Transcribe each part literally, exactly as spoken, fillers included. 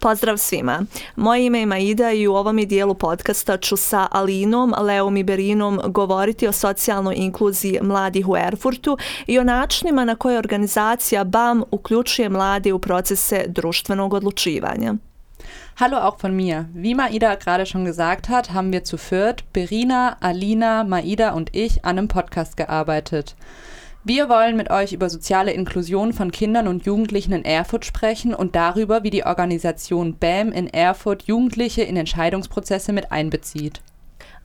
Pozdrav svima. Moje ime je Maida i u ovom je dijelu podcasta ću sa Alinom, Leom i Berinom govoriti o socijalnoj inkluziji mladih u Erfurtu i o načinima na koje organizacija B A M uključuje mlade u procese društvenog odlučivanja. Hallo auch von mir. Wie Maida gerade schon gesagt hat, haben wir zu viert, Berina, Alina, Maida und ich, an einem Podcast gearbeitet. Wir wollen mit euch über soziale Inklusion von Kindern und Jugendlichen in Erfurt sprechen und darüber, wie die Organisation B A M in Erfurt Jugendliche in Entscheidungsprozesse mit einbezieht.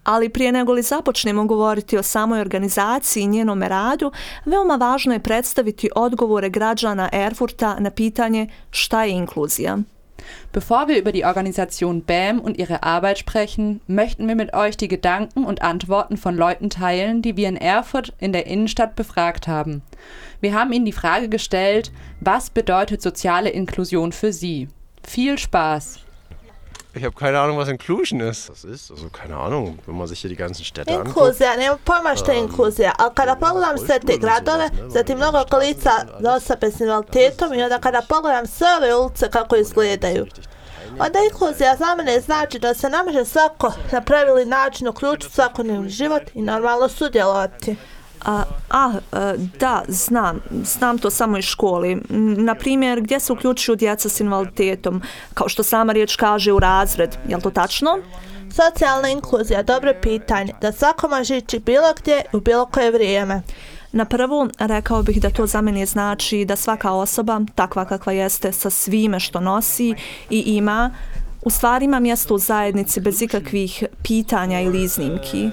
Ali prije nego li započnemo govoriti o samoj organizaciji i njenom radu, veoma važno je predstaviti odgovore građana Erfurta na pitanje šta je inkluzija. Bevor wir über die Organisation B A M und ihre Arbeit sprechen, möchten wir mit euch die Gedanken und Antworten von Leuten teilen, die wir in Erfurt in der Innenstadt befragt haben. Wir haben ihnen die Frage gestellt, was bedeutet soziale Inklusion für sie? Viel Spaß! Ich habe keine Ahnung, was Inclusion ist. Das ist, also keine Ahnung, wenn man sich hier die ganzen Städte anguckt. Inkluzija, nema pojma što je inkluzija, ali kada pogledam sve te gradove, zatim mnogo lica za osobe s invaliditetom i onda kada pogledam sve ove ulice kako izgledaju. Onda inkluzija za mene znači da se ne može svako na pravilni način uključiti u svakodnevni život i normalno sudjelovati. A, a, da, znam. Znam to samo iz školi. Na primjer, gdje se uključuju djeca s invaliditetom? Kao što sama riječ kaže, u razred. Je li to tačno? Socijalna inkluzija, dobro pitanje. Da svako može ići bilo gdje u bilo koje vrijeme. Na prvu, rekao bih da to za mene znači da svaka osoba, takva kakva jeste, sa svime što nosi i ima, u stvari ima mjesto u zajednici bez ikakvih pitanja ili iznimki.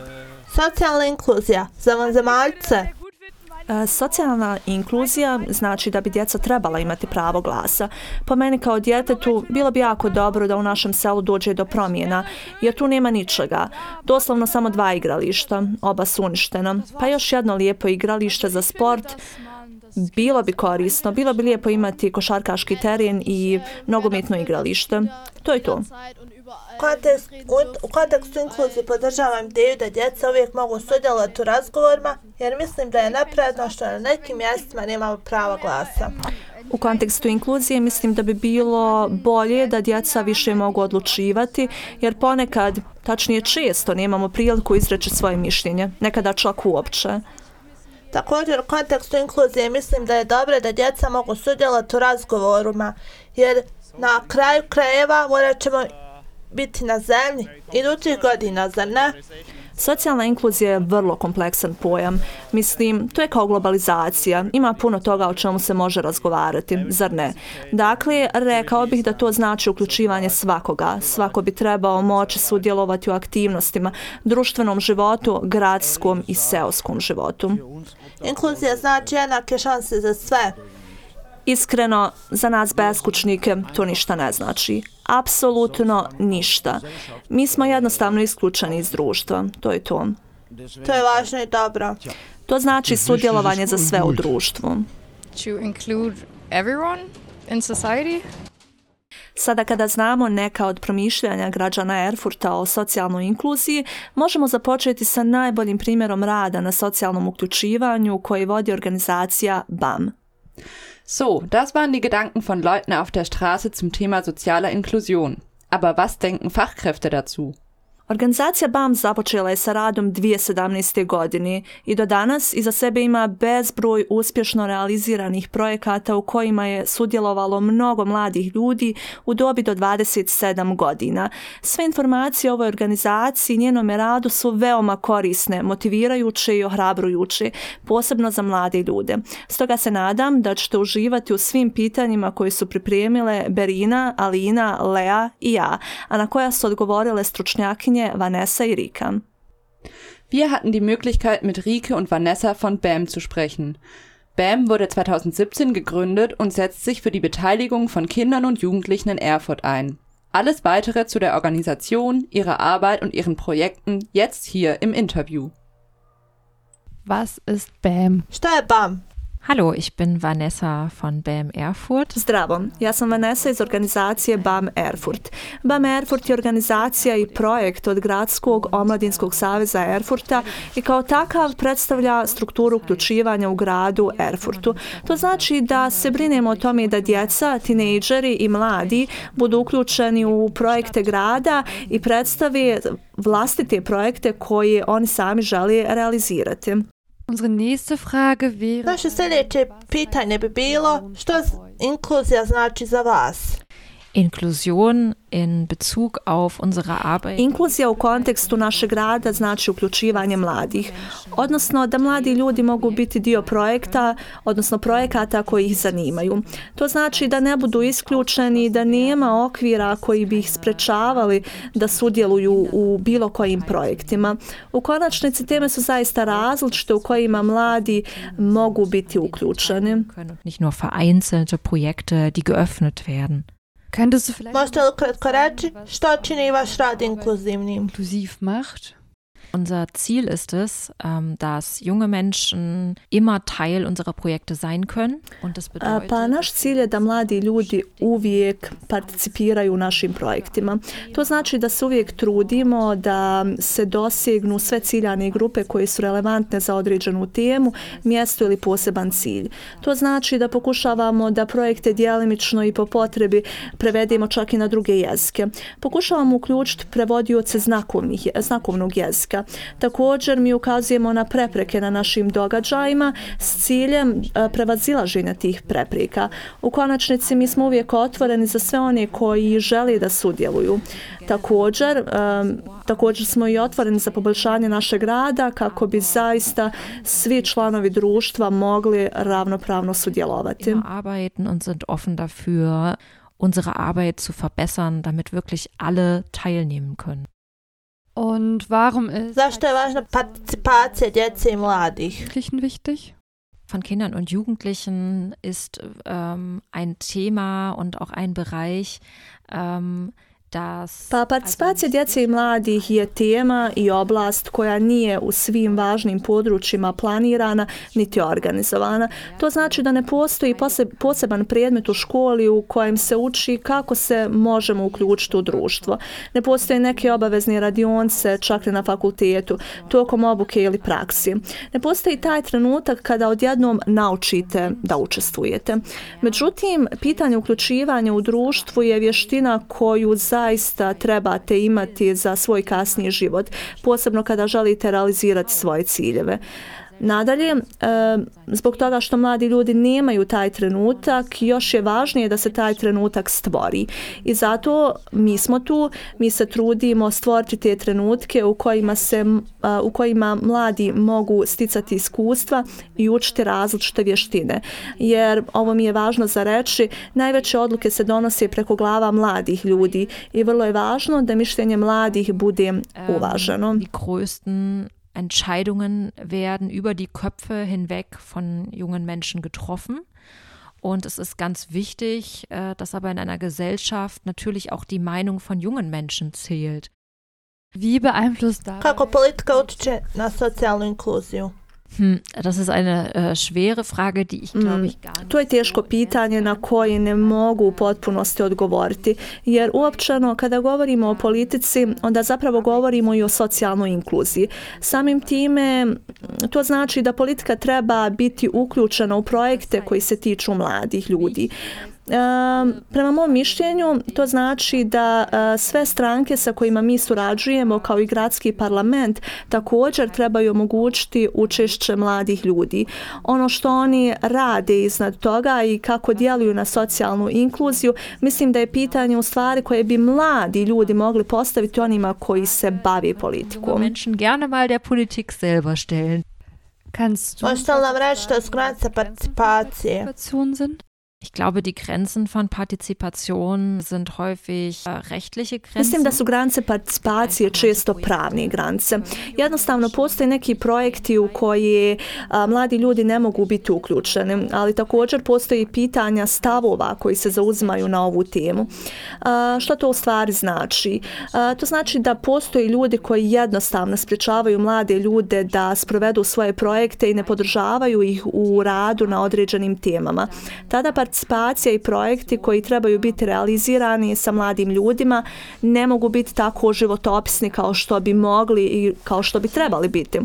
Socijalna inkluzija za vanzemaljce. E, socijalna inkluzija znači da bi djeca trebala imati pravo glasa. Po meni kao djetetu bilo bi jako dobro da u našem selu dođe do promjena, jer tu nema ničega. Doslovno samo dva igrališta, oba su uništena. Pa još jedno lijepo igralište za sport. Bilo bi korisno, bilo bi lijepo imati košarkaški teren i nogometno igralište. To je to. Kontekst, u kontekstu inkluzije podržavam ideju da djeca uvijek mogu sudjelovati u razgovorima, jer mislim da je nepravedno što na nekim mjestima nemamo prava glasa. U kontekstu inkluzije mislim da bi bilo bolje da djeca više mogu odlučivati, jer ponekad, tačnije često, nemamo priliku izreći svoje mišljenje, nekada čak uopće. Također u kontekstu inkluzije mislim da je dobro da djeca mogu sudjelovati u razgovorima, jer na kraju krajeva morat ćemo biti na zemlji idućih godina, zar ne? Socijalna inkluzija je vrlo kompleksan pojam. Mislim, to je kao globalizacija. Ima puno toga o čemu se može razgovarati, zar ne? Dakle, rekao bih da to znači uključivanje svakoga. Svako bi trebao moći sudjelovati u aktivnostima, društvenom životu, gradskom i seoskom životu. Inkluzija znači jednake šanse za sve. Iskreno, za nas beskućnike to ništa ne znači. Apsolutno ništa. Mi smo jednostavno isključeni iz društva. To je to. To je važno i dobro. To znači sudjelovanje za sve u društvu. To include everyone in society. Sada kada znamo neka od promišljanja građana Erfurta o socijalnoj inkluziji, možemo započeti sa najboljim primjerom rada na socijalnom uključivanju koji vodi organizacija B A M. So, das waren die Gedanken von Leuten auf der Straße zum Thema sozialer Inklusion. Aber was denken Fachkräfte dazu? Organizacija B A M započela je sa radom dvije tisuće sedamnaeste. godine i do danas iza sebe ima bezbroj uspješno realiziranih projekata u kojima je sudjelovalo mnogo mladih ljudi u dobi do dvadeset sedam godina. Sve informacije o ovoj organizaciji i njenom radu su veoma korisne, motivirajuće i ohrabrujuće, posebno za mlade ljude. Stoga se nadam da ćete uživati u svim pitanjima koje su pripremile Berina, Alina, Lea i ja, a na koja su odgovorile stručnjakinje Vanessa i Rika. Wir hatten die Möglichkeit, mit Rike und Vanessa von B A M zu sprechen. B A M wurde zweitausendsiebzehn gegründet und setzt sich für die Beteiligung von Kindern und Jugendlichen in Erfurt ein. Alles Weitere zu der Organisation, ihrer Arbeit und ihren Projekten jetzt hier im Interview. Was ist B A M? Šta je B A M? Hallo, ich bin Vanessa von B A M Erfurt. Zdravo, ja sam Vanessa iz organizacije B A M Erfurt. B A M Erfurt je organizacija i projekt od Gradskog omladinskog saveza Erfurta i kao takav predstavlja strukturu uključivanja u gradu Erfurtu. To znači da se brinemo o tome da djeca, tinejdžeri i mladi budu uključeni u projekte grada i predstave vlastite projekte koje oni sami žele realizirati. Unsere nächste Frage wäre... Naše sljedeće pitanje bi bilo, što inkluzija znači za vas? Inklusion in Bezug auf unsere Arbeit. Inkluzija u kontekstu našeg rada znači uključivanje mladih, odnosno da mladi ljudi mogu biti dio projekta, odnosno projekata koji ih zanimaju. To znači da ne budu isključeni, da nema okvira koji bi ih sprečavali da sudjeluju u bilo kojim projektima. U konačnici teme su zaista različite u kojima mladi mogu biti uključeni. Nicht nur vereinzelte Projekte, die geöffnet werden. Možete li ukratko reći što čini vaš rad inkluzivnim? Inklusiv macht? Unser Ziel ist es, ähm, dass junge Menschen immer Teil unserer Projekte sein können. Und das bedeutet, pa naš cilj je da mladi ljudi uvijek participiraju u našim projektima. To znači da se uvijek trudimo da se dosegnu sve ciljane grupe koje su relevantne za određenu temu, mjesto ili poseban cilj. To znači da pokušavamo da projekte djelimično i po potrebi prevedemo čak i na druge jezike. Pokušavamo uključiti prevodioce znakovnih, znakovnog jezika. Također mi ukazujemo na prepreke na našim događajima s ciljem prevazilaženja tih prepreka. U konačnici mi smo uvijek otvoreni za sve one koji žele da sudjeluju. Također, um, također smo i otvoreni za poboljšanje našeg rada kako bi zaista svi članovi društva mogli ravnopravno sudjelovati. Arbeiten und sind offen dafür, unsere Arbeit zu verbessern, damit wirklich alle teilnehmen können. Und warum ist Zašto je važna participacija djece i mladih? wichtig? Von Kindern und Jugendlichen ist ähm, ein Thema und auch ein Bereich, ähm, Pa participacija djece i mladih je tema i oblast koja nije u svim važnim područjima planirana niti organizovana. To znači da ne postoji poseban predmet u školi u kojem se uči kako se možemo uključiti u društvo. Ne postoje neke obavezne radionce čak i na fakultetu, tokom obuke ili praksi. Ne postoji taj trenutak kada odjednom naučite da učestvujete. Međutim, pitanje uključivanja u društvu je vještina koju za zaista trebate imati za svoj kasniji život, posebno kada želite realizirati svoje ciljeve. Nadalje, zbog toga što mladi ljudi nemaju taj trenutak, još je važnije da se taj trenutak stvori. I zato mi smo tu, mi se trudimo stvoriti te trenutke u kojima, se, u kojima mladi mogu sticati iskustva i učiti različite vještine. Jer, ovo mi je važno za reći, najveće odluke se donose preko glava mladih ljudi i vrlo je važno da mišljenje mladih bude uvaženo. Entscheidungen werden über die Köpfe hinweg von jungen Menschen getroffen. Und es ist ganz wichtig, dass aber in einer Gesellschaft natürlich auch die Meinung von jungen Menschen zählt. Wie beeinflusst das? Kako politika utječe na socijalnu inkluziju? Hm, das ist eine äh, schwere Frage, die ich glaube ich gar nicht. To je teško pitanje na koje ne mogu u potpunosti odgovoriti, jer uopćeno kada govorimo o politici, onda zapravo govorimo i o socijalnoj inkluziji. Samim time to znači da politika treba biti uključena u projekte koji se tiču mladih ljudi. Uh, prema mom mišljenju to znači da uh, sve stranke sa kojima mi surađujemo kao i gradski parlament također trebaju omogućiti učešće mladih ljudi. Ono što oni rade iznad toga i kako djeluju na socijalnu inkluziju, mislim da je pitanje u stvari koje bi mladi ljudi mogli postaviti onima koji se bave politikom. Menschen gerne mal der Politik selber stellen. Možete li nam reći što su granice participacije? Ich glaube, die Grenzen von Partizipation sind häufig uh, rechtliche Grenzen. Mislim da su granice participacije često pravne granice. Jednostavno postoje neki projekti u koje a, mladi ljudi ne mogu biti uključeni, ali također postoji pitanja stavova koji se zauzimaju na ovu temu. Što to u stvari znači? To znači da postoje ljudi koji jednostavno sprječavaju mlade ljude da sprovedu svoje projekte i ne podržavaju ih u radu na određenim temama. Tada participacija i projekti koji trebaju biti realizirani sa mladim ljudima ne mogu biti tako životopisni kao što bi mogli i kao što bi trebali biti.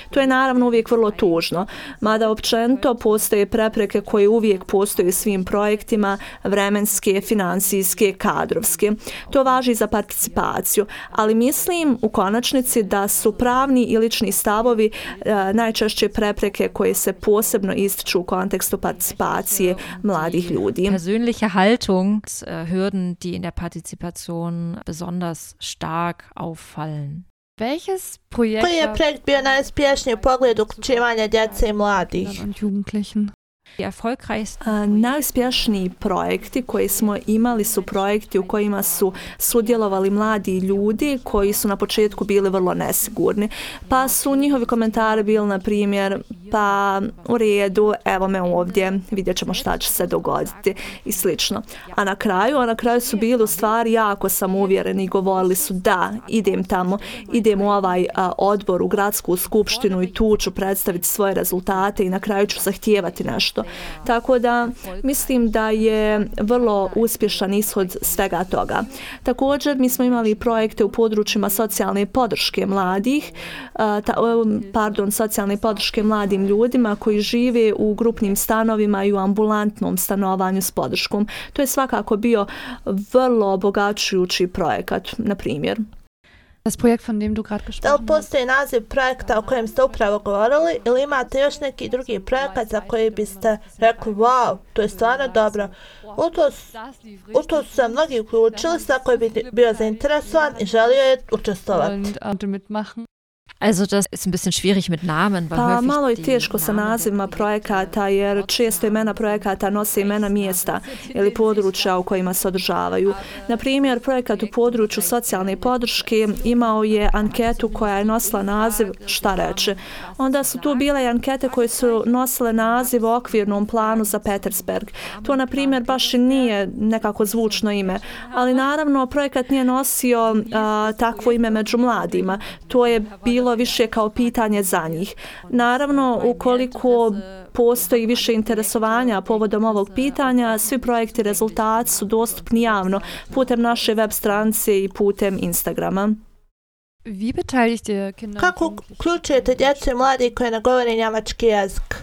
To je naravno uvijek vrlo tužno, mada općenito postoje prepreke koje uvijek postoje svim projektima, vremenske, financijske, kadrovske. To važi za participaciju, ali mislim u konačnici da su pravni i lični stavovi e, najčešće prepreke koje se posebno ističu u kontekstu participacije mladih ljudi. Persönliche Haltung, Hürden, die in der Partizipation besonders stark auffallen. Welches Projekt Koji je projekt bio najuspješniji u pogledu uključivanja djece i mladih? und Jugendlichen? Die erfolgreichsten A, najuspješniji projekti koji smo imali su projekti u kojima su sudjelovali mladi ljudi koji su na početku bili vrlo nesigurni. Pa su njihovi komentari bili na primjer, pa u redu, evo me ovdje, vidjet ćemo šta će se dogoditi i slično. A na kraju, a na kraju su bili u stvari jako samouvjereni i govorili su da, idem tamo, idem u ovaj a, odbor, u gradsku skupštinu i tu ću predstaviti svoje rezultate i na kraju ću zahtijevati nešto. Tako da mislim da je vrlo uspješan ishod svega toga. Također mi smo imali projekte u područjima socijalne podrške mladih, ta, pardon, socijalne podrške mladim ljudima koji žive u grupnim stanovima i u ambulantnom stanovanju s podrškom. To je svakako bio vrlo obogaćujući projekat, na primjer. Das Projekt, von dem du gerade Da gesprochen li postoji naziv projekta o kojem ste upravo govorili ili imate još neki drugi projekat za koji biste rekli wow, to je stvarno dobro. U to, u to su se mnogi uključili, svako bi bio zainteresovan i želio je učestovati. und, und mitmachen? Also das ist ein bisschen schwierig mit Namen, weil Pa häufig malo je die teško sa Namen nazivima projekata jer često imena projekata nose imena mjesta ili područja u kojima se održavaju. Na primjer, projekat u području socijalne podrške imao je anketu koja je nosila naziv Šta reče. Onda su tu bile i ankete koje su nosile naziv o okvirnom planu za Petersberg. To, na primjer, baš i nije nekako zvučno ime, ali naravno projekat nije nosio a, takvo ime među mladima. To je bilo više kao pitanje za njih. Naravno, ukoliko postoji više interesovanja povodom ovog pitanja, svi projekti i rezultati su dostupni javno putem naše web stranice i putem Instagrama. Wie beteiligt ihr Kinder? Kako uključujete djecu i mladi koji ne govore njemački jezik?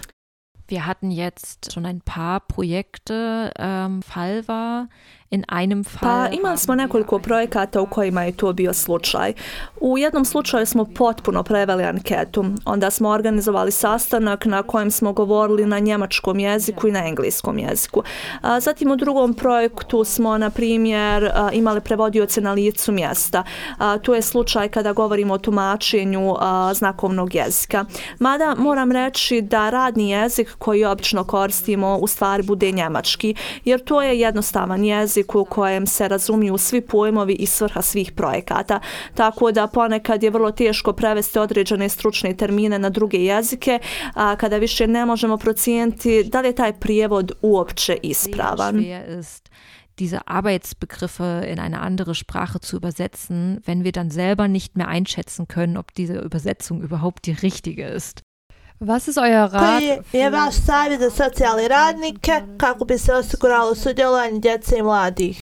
Wir hatten jetzt schon ein paar Projekte. Ähm, Fall war, in einem Fall Pa imali smo nekoliko projekata u kojima je to bio slučaj. U jednom slučaju smo potpuno preveli anketu. Onda smo organizovali sastanak na kojem smo govorili na njemačkom jeziku i na engleskom jeziku. A, zatim u drugom projektu smo, na primjer, a, imali prevodioce na licu mjesta. A, to je slučaj kada govorimo o tumačenju a, znakovnog jezika. Mada moram reći da radni jezik koji obično koristimo u stvari bude njemački, jer to je jednostavan jezik u kojem se razumiju svi pojmovi i svrha svih projekata. Tako da ponekad je vrlo teško prevesti određene stručne termine na druge jezike, a kada više ne možemo procijeniti da li je taj prijevod uopće ispravan. diese Arbeitsbegriffe in eine andere Sprache zu übersetzen, wenn wir dann selber nicht mehr einschätzen können, ob diese Übersetzung überhaupt die richtige ist. Was ist euer Rat? Koji je vaš savjet za socijalne radnike kako bi se osiguralo sudjelovanje djece i mladih?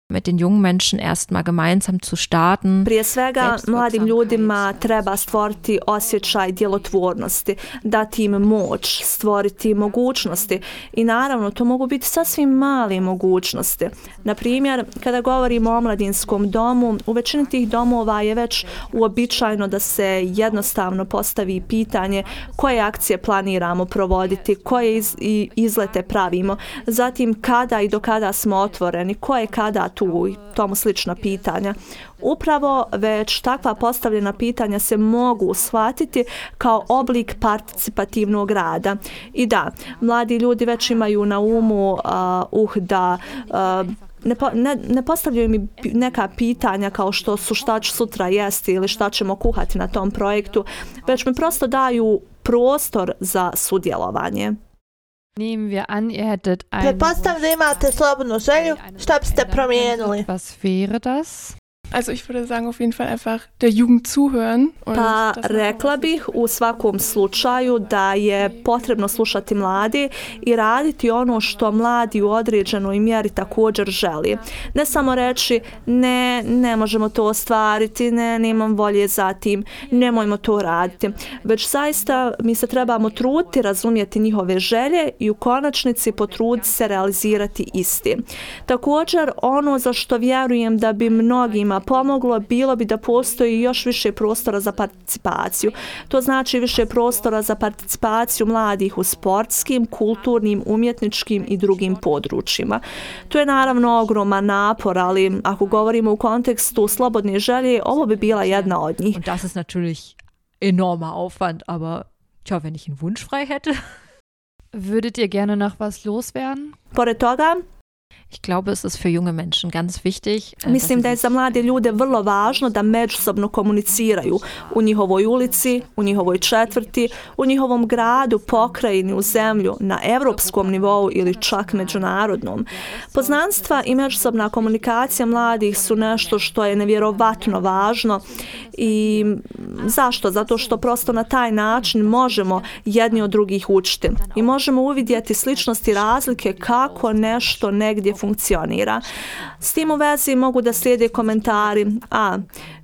Mit den jungen Menschen erstmal gemeinsam zu starten. Prije svega, mladim ljudima treba stvoriti osjećaj djelotvornosti, dati im moć, stvoriti mogućnosti i naravno to mogu biti sasvim male mogućnosti. Na primjer, kada govorimo o omladinskom domu, u većini tih domova je već uobičajeno da se jednostavno postavi pitanje koje akcije planiramo provoditi, koje iz, izlete pravimo, zatim kada i do kada smo otvoreni, koje kada tu i tomu slična pitanja. Upravo već takva postavljena pitanja se mogu shvatiti kao oblik participativnog rada. I da, mladi ljudi već imaju na umu uh, uh da uh, Ne, po, ne, ne postavljaju mi neka pitanja kao što su šta ću sutra jesti ili šta ćemo kuhati na tom projektu, već mi prosto daju prostor za sudjelovanje. Nehmen wir an, ihr hättet einen Pretpostavljam da imate slobodnu želju, šta biste promijenili? Was wäre das? Also ich würde sagen, auf jeden Fall einfach der Jugend zuhören. Und Pa das rekla bih u svakom slučaju da je potrebno slušati mladi i raditi ono što mladi u određenoj mjeri također želi. Ne samo reći ne, ne možemo to ostvariti, ne, nemam volje za tim, nemojmo to raditi. Već zaista mi se trebamo truditi razumjeti njihove želje i u konačnici potruditi se realizirati isti. Također ono za što vjerujem da bi mnogima pomoglo bilo bi da postoji još više prostora za participaciju. To znači više prostora za participaciju mladih u sportskim, kulturnim, umjetničkim i drugim područjima. To je naravno ogroman napor, ali ako govorimo u kontekstu slobodne želje, ovo bi bila jedna od njih. Und das ist natürlich enormer Aufwand, aber tja, wenn ich einen Wunsch frei hätte. Würdet ihr gerne noch was loswerden? Pored toga, Ich glaube, es ist für junge Menschen ganz wichtig. äh, mislim dass da je sie za mlade ljude vrlo važno da međusobno komuniciraju u njihovoj ulici, u njihovoj četvrti, u njihovom gradu, pokrajini, u zemlju, na evropskom nivou ili čak međunarodnom. Poznanstva i međusobna komunikacija mladih su nešto što je nevjerovatno važno i zašto? Zato što prosto na taj način možemo jedni od drugih učiti i možemo uvidjeti sličnosti i razlike kako nešto negdje funkcionira. S tim u vezi mogu da slijede komentari, a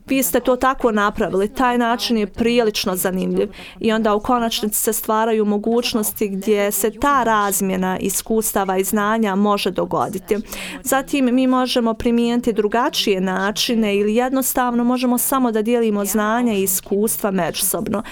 vi ste to tako napravili, taj način je prilično zanimljiv i onda u konačnici se stvaraju mogućnosti gdje se ta razmjena iskustava i znanja može dogoditi. Zatim mi možemo primijeniti drugačije načine ili jednostavno možemo samo da dijelimo znanja i iskustva međusobno.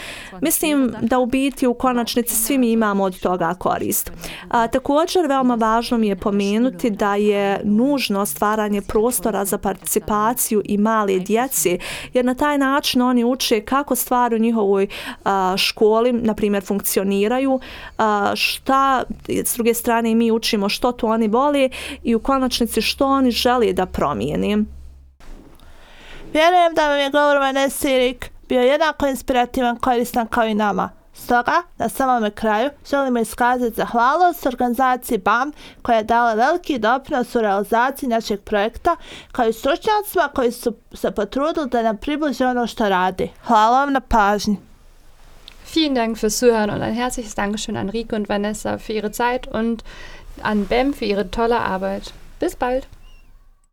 Mislim da u biti u konačnici svi mi imamo od toga korist. A, također veoma važno mi je pomenuti da je nužno stvaranje prostora za participaciju i male djece, jer na taj način oni uče kako stvari u njihovoj a, školi, na primjer, funkcioniraju, a, šta, s druge strane mi učimo što to oni vole i u konačnici što oni žele da promijeni. Vjerujem da vam je govor Vanese i Rick bio jednako inspirativan, koristan kao i nama. Stoga, na samome kraju, želimo iskazati zahvalnost organizaciji B A M koja je dala veliki doprinos u realizaciji našeg projekta, kao i stručnjacima koji su se potrudili da nam približe ono što radi. Hvala vam na pažnji. Vielen Dank fürs Zuhören und ein herzliches Dankeschön an Rico und Vanessa für ihre Zeit und an B E M für ihre tolle Arbeit. Bis bald!